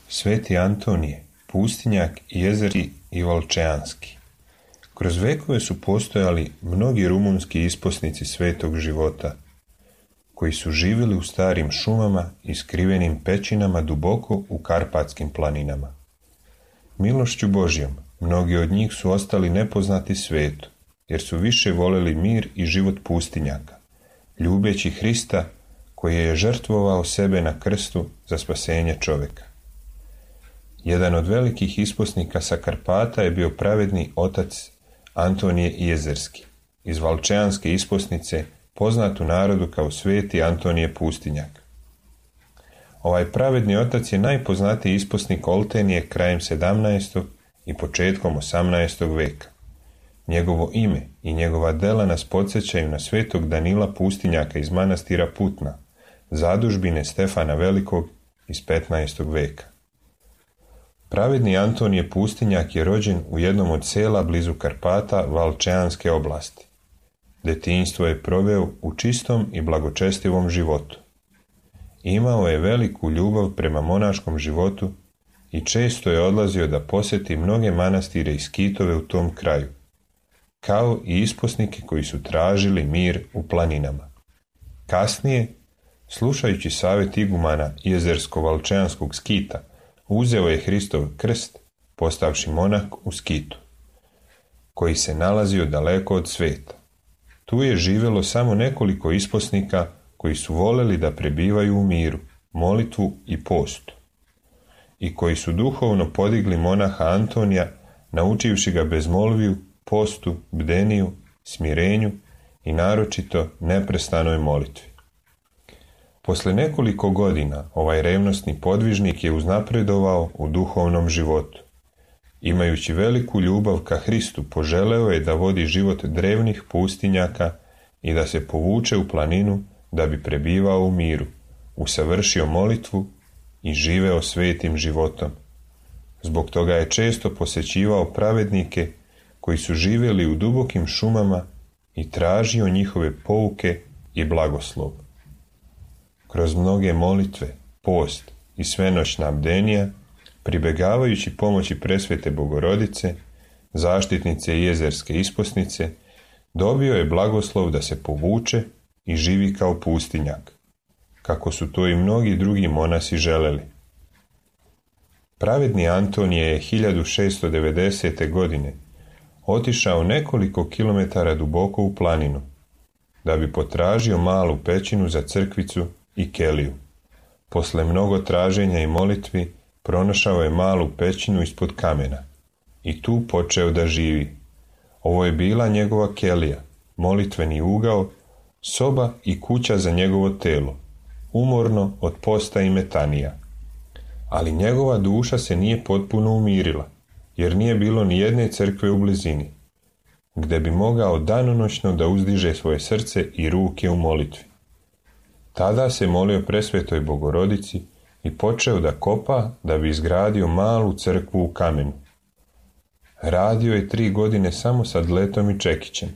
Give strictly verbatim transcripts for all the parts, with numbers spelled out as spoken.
Sveti Antonije, pustinjak, jezerski i volčeanski. Kroz vekove su postojali mnogi rumunski isposnici svetog života, koji su živjeli u starim šumama i skrivenim pećinama duboko u Karpatskim planinama. Milošću Božjom, mnogi od njih su ostali nepoznati svetu, jer su više voleli mir i život pustinjaka, ljubeći Hrista koji je žrtvovao sebe na krstu za spasenje čovjeka. Jedan od velikih isposnika sa Karpata je bio pravedni otac Antonije Jezerski, iz valčeanske isposnice, poznat u narodu kao sveti Antonije Pustinjak. Ovaj pravedni otac je najpoznatiji isposnik Oltenije krajem sedamnaestog i početkom osamnaestog veka. Njegovo ime i njegova dela nas podsjećaju na svetog Danila Pustinjaka iz manastira Putna, zadužbine Stefana Velikog iz petnaestog veka. Pravedni Antonije Pustinjak je rođen u jednom od sela blizu Karpata Valčeanske oblasti. Detinjstvo je proveo u čistom i blagočestivom životu. Imao je veliku ljubav prema monaškom životu i često je odlazio da posjeti mnoge manastire i skitove u tom kraju, kao i isposnike koji su tražili mir u planinama. Kasnije, slušajući savjet igumana jezersko-valčeanskog skita, uzeo je Hristov krst, postavši monah u Skitu, koji se nalazio daleko od sveta. Tu je živjelo samo nekoliko isposnika koji su voleli da prebivaju u miru, molitvu i postu, i koji su duhovno podigli monaha Antonija, naučivši ga bezmolviju, postu, bdeniju, smirenju i naročito neprestanoj molitvi. Posle nekoliko godina ovaj revnosni podvižnik je uznapredovao u duhovnom životu. Imajući veliku ljubav ka Hristu, poželeo je da vodi život drevnih pustinjaka i da se povuče u planinu da bi prebivao u miru, usavršio molitvu i živeo svetim životom. Zbog toga je često posjećivao pravednike koji su živjeli u dubokim šumama i tražio njihove pouke i blagoslov. Kroz mnoge molitve, post i svenoćna bdenija, pribegavajući pomoći presvete Bogorodice, zaštitnice i jezerske isposnice, dobio je blagoslov da se povuče i živi kao pustinjak, kako su to i mnogi drugi monasi želeli. Pravedni Antonije je hiljadu šeststo devedesete. godine otišao nekoliko kilometara duboko u planinu, da bi potražio malu pećinu za crkvicu i keliju. Posle mnogo traženja i molitvi pronašao je malu pećinu ispod kamena i tu počeo da živi. Ovo je bila njegova kelija, molitveni ugao, soba i kuća za njegovo telo, umorno od posta i metanija. Ali njegova duša se nije potpuno umirila, jer nije bilo ni jedne crkve u blizini, gde bi mogao danonoćno da uzdiže svoje srce i ruke u molitvi. Tada se molio presvetoj Bogorodici i počeo da kopa da bi izgradio malu crkvu u kamenu. Radio je tri godine samo sa dletom i čekićem.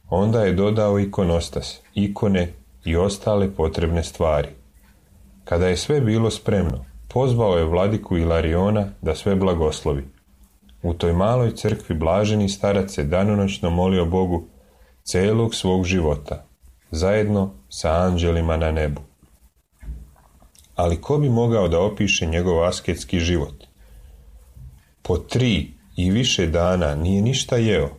Onda je dodao ikonostas, ikone i ostale potrebne stvari. Kada je sve bilo spremno, pozvao je vladiku Ilariona da sve blagoslovi. U toj maloj crkvi blaženi starac se danonoćno molio Bogu celog svog života, zajedno sa anđelima na nebu. Ali ko bi mogao da opiše njegov asketski život? Po tri i više dana nije ništa jeo.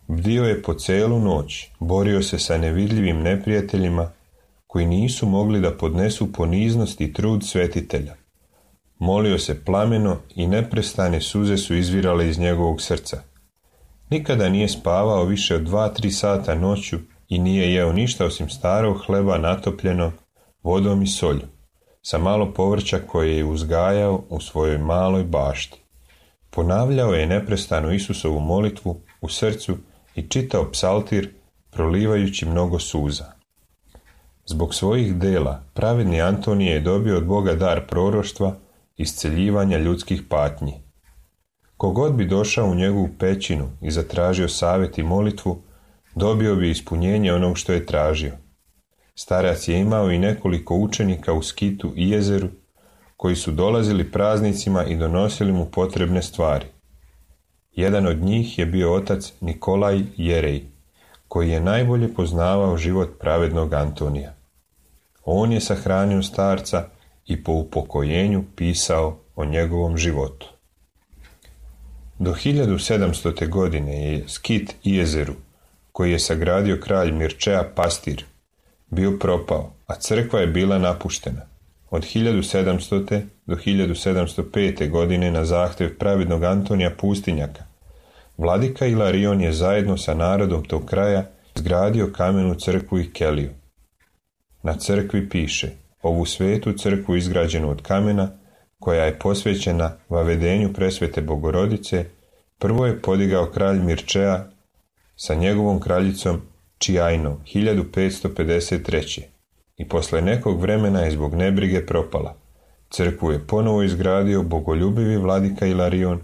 Bdio je po celu noć, borio se sa nevidljivim neprijateljima koji nisu mogli da podnesu poniznost i trud svetitelja. Molio se plameno i neprestane suze su izvirale iz njegovog srca. Nikada nije spavao više od dva, tri sata noću i nije jeo ništa osim starog hleba natopljenog vodom i solju, sa malo povrća koje je uzgajao u svojoj maloj bašti. Ponavljao je neprestano Isusovu molitvu u srcu i čitao psaltir, prolivajući mnogo suza. Zbog svojih dela, pravedni Antonije je dobio od Boga dar proroštva, isceljivanja ljudskih patnji. Kogod bi došao u njegovu pećinu i zatražio savjet i molitvu, dobio bi ispunjenje onog što je tražio. Starac je imao i nekoliko učenika u Skitu i Jezeru, koji su dolazili praznicima i donosili mu potrebne stvari. Jedan od njih je bio otac Nikolaj Jerej, koji je najbolje poznavao život pravednog Antonija. On je sahranio starca i po upokojenju pisao o njegovom životu. Do hiljadu sedamstote. godine je Skit i Jezeru, koji je sagradio kralj Mirčea Pastir, bio propao, a crkva je bila napuštena. Od hiljadu sedamstote. do hiljadu sedamsto pete. godine na zahtjev pravednog Antonija Pustinjaka, vladika Ilarion je zajedno sa narodom tog kraja izgradio kamenu crkvu i keliju. Na crkvi piše: ovu svetu crkvu izgrađenu od kamena, koja je posvećena vavedenju presvete Bogorodice, prvo je podigao kralj Mirčea sa njegovom kraljicom Čijajnom hiljadu petsto pedeset treće. i posle nekog vremena je zbog nebrige propala. Crkvu je ponovo izgradio bogoljubivi vladika Ilarion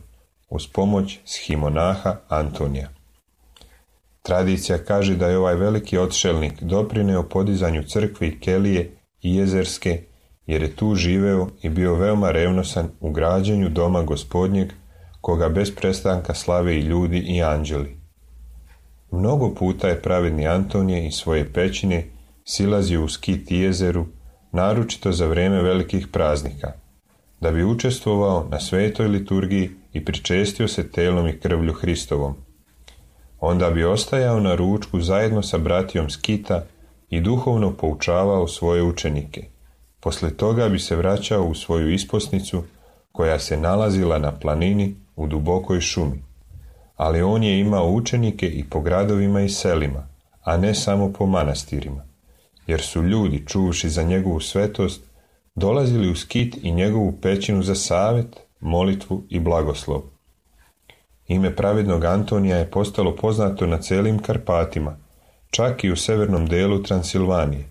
uz pomoć shimonaha Antonija. Tradicija kaže da je ovaj veliki odšelnik doprineo podizanju crkve i kelije i Jezerske, jer je tu živeo i bio veoma revnosan u građenju doma Gospodnjeg, koga bez prestanka slave i ljudi i anđeli. Mnogo puta je pravedni Antonije iz svoje pećine silazio u Skit i Jezeru, naročito za vrijeme velikih praznika, da bi učestvovao na svetoj liturgiji i pričestio se telom i krvlju Hristovom. Onda bi ostajao na ručku zajedno sa bratijom Skita i duhovno poučavao svoje učenike. Posle toga bi se vraćao u svoju isposnicu, koja se nalazila na planini u dubokoj šumi. Ali on je imao učenike i po gradovima i selima, a ne samo po manastirima, jer su ljudi, čuvši za njegovu svetost, dolazili u Skit i njegovu pećinu za savet, molitvu i blagoslov. Ime pravednog Antonija je postalo poznato na celim Karpatima, čak i u severnom delu Transilvanije,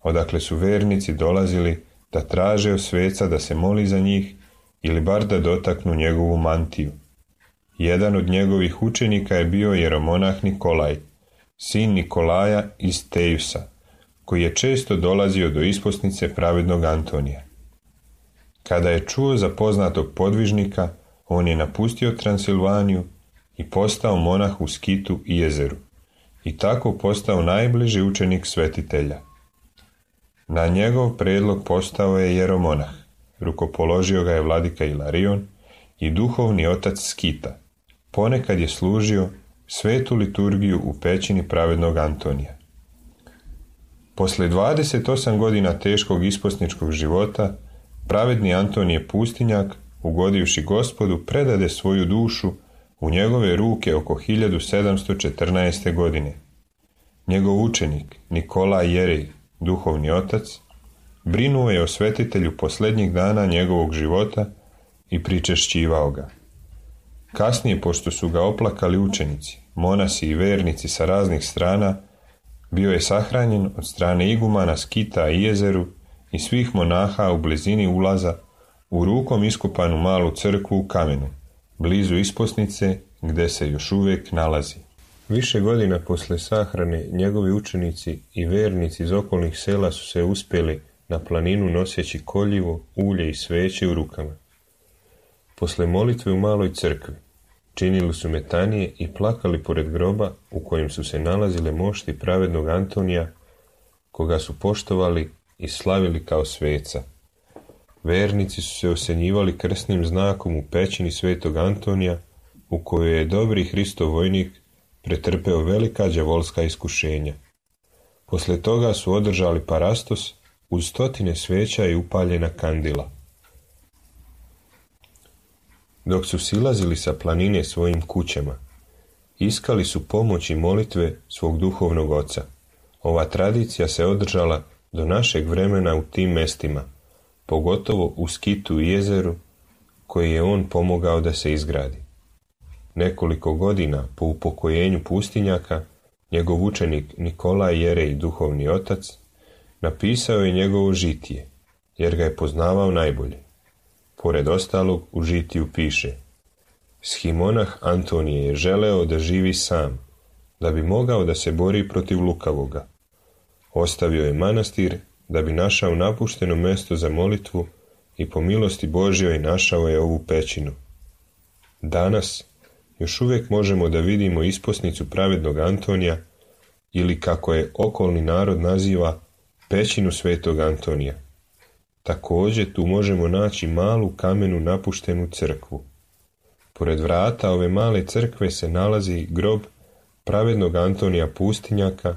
odakle su vernici dolazili da traže od sveca da se moli za njih ili bar da dotaknu njegovu mantiju. Jedan od njegovih učenika je bio jeromonah Nikolaj, sin Nikolaja iz Tejusa, koji je često dolazio do isposnice pravednog Antonija. Kada je čuo za poznatog podvižnika, on je napustio Transilvaniju i postao monah u Skitu i Jezeru, i tako postao najbliži učenik svetitelja. Na njegov predlog postao je jeromonah, rukopoložio ga je vladika Ilarion i duhovni otac Skita. Ponekad je služio svetu liturgiju u pećini pravednog Antonija. Posle dvadeset osam godina teškog isposničkog života, pravedni Antonije Pustinjak, ugodivši Gospodu, predade svoju dušu u njegove ruke oko hiljadu sedamsto četrnaeste. godine. Njegov učenik, Nikolaj Jerej, duhovni otac, brinuo je o svetitelju posljednjih dana njegovog života i pričešćivao ga. Kasnije, pošto su ga oplakali učenici, monasi i vernici sa raznih strana, bio je sahranjen od strane igumana Skita i Jezeru i svih monaha u blizini ulaza u rukom iskopanu malu crkvu u kamenu, blizu isposnice gde se još uvijek nalazi. Više godina posle sahrane njegovi učenici i vernici iz okolnih sela su se uspjeli na planinu noseći koljivo, ulje i sveće u rukama. Posle molitve u maloj crkvi činili su metanije i plakali pored groba u kojem su se nalazile mošti pravednog Antonija, koga su poštovali i slavili kao sveca. Vernici su se osenjivali krsnim znakom u pećini svetog Antonija, u kojoj je dobri Hristov vojnik pretrpeo velika đavolska iskušenja. Posle toga su održali parastos uz stotine sveća i upaljena kandila. Dok su silazili sa planine svojim kućama, iskali su pomoć i molitve svog duhovnog oca. Ova tradicija se održala do našeg vremena u tim mestima, pogotovo u Skitu i Jezeru, koji je on pomogao da se izgradi. Nekoliko godina po upokojenju Pustinjaka, njegov učenik Nikolaj Jerej, duhovni otac, napisao je njegovo žitije, jer ga je poznavao najbolje. Pored ostalog u žitiju piše: Shimonah Antonije je želeo da živi sam, da bi mogao da se bori protiv lukavoga. Ostavio je manastir da bi našao napušteno mesto za molitvu i po milosti Božjoj našao je ovu pećinu. Danas još uvijek možemo da vidimo isposnicu pravednog Antonija, ili kako je okolni narod naziva, pećinu svetog Antonija. Također tu možemo naći malu kamenu napuštenu crkvu. Pored vrata ove male crkve se nalazi grob pravednog Antonija Pustinjaka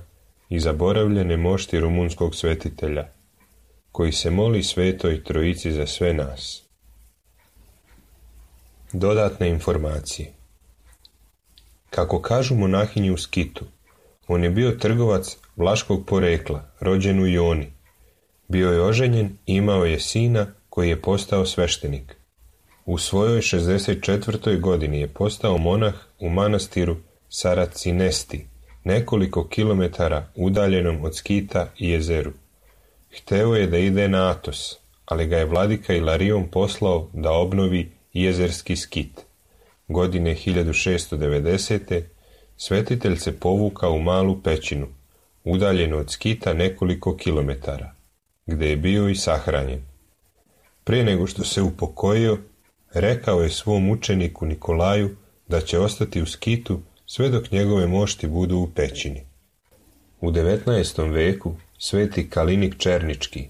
i zaboravljene mošti rumunskog svetitelja, koji se moli Svetoj Trojici za sve nas. Dodatne informacije. Kako kažu monahinji u Skitu, on je bio trgovac vlaškog porekla, rođen u Ioni. Bio je oženjen i imao je sina koji je postao sveštenik. U svojoj šezdeset četvrtoj godini je postao monah u manastiru Saracinesti, nekoliko kilometara udaljenom od Skita i jezeru. Hteo je da ide na Atos, ali ga je vladika Ilarion poslao da obnovi jezerski Skit. Godine hiljadu šessto devedesete. svetitelj se povukao u malu pećinu, udaljenu od Skita nekoliko kilometara, gde je bio i sahranjen. Prije nego što se upokojio, rekao je svom učeniku Nikolaju da će ostati u Skitu sve dok njegove mošti budu u pećini. U devetnaestom veku sveti Kalinik Černički,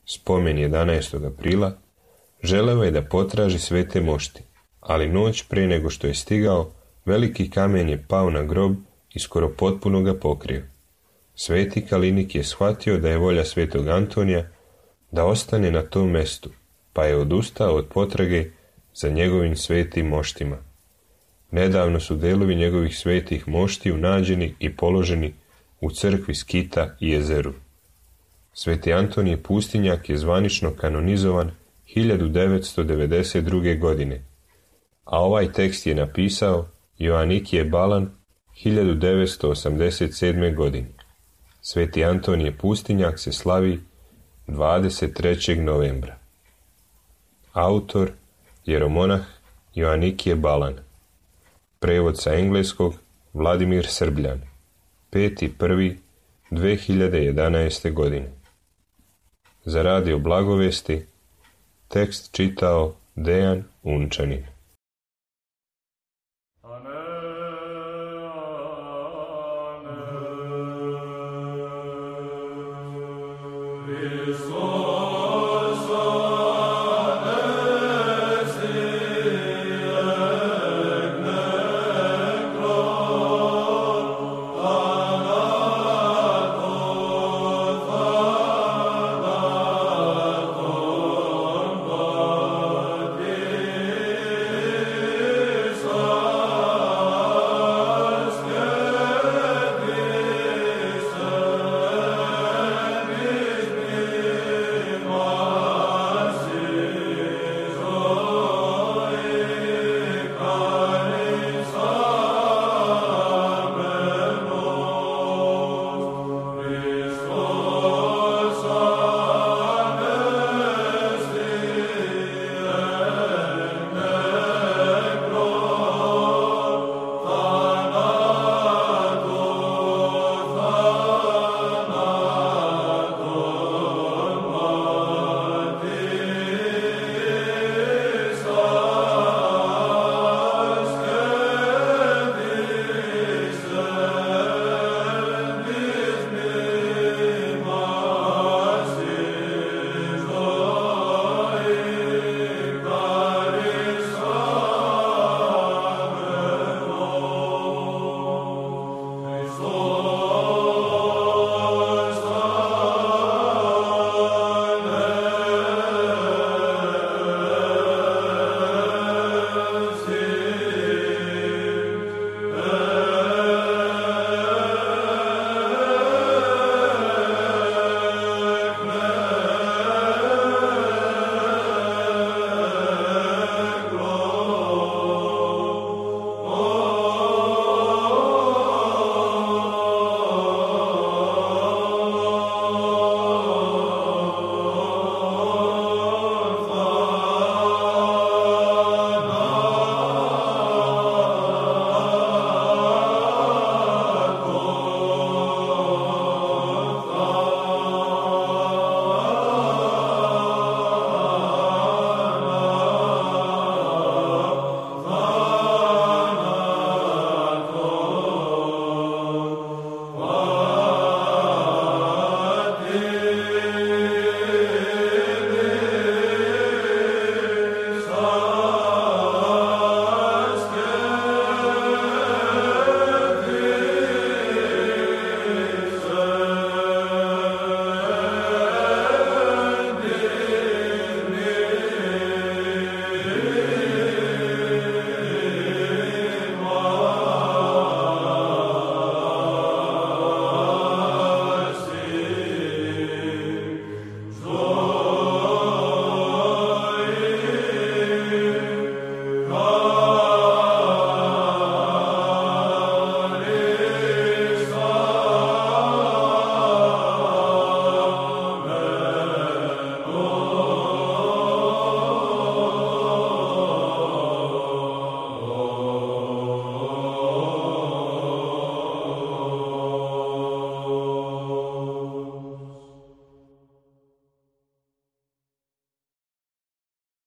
spomen jedanaestog aprila, želeo je da potraži svete mošti, ali noć prije nego što je stigao, veliki kamen je pao na grob i skoro potpuno ga pokrio. Sveti Kalinik je shvatio da je volja svetog Antonija da ostane na tom mestu, pa je odustao od potrage za njegovim svetim moštima. Nedavno su delovi njegovih svetih moštiju nađeni i položeni u crkvi Skita i jezeru. Sveti Antonije Pustinjak je zvanično kanonizovan hiljadu devetsto devedeset druge. godine, a ovaj tekst je napisao Joanikije Balan hiljadu devetsto osamdeset sedme. godine. Sveti Antonije Pustinjak se slavi dvadeset trećeg novembra. Autor jeromonah Joanikije Balan. Prevod sa engleskog Vladimir Srbljan. peti prvi dve hiljade jedanaeste. godine. Za radio Blagovesti tekst čitao Dejan Unčanin. Hristos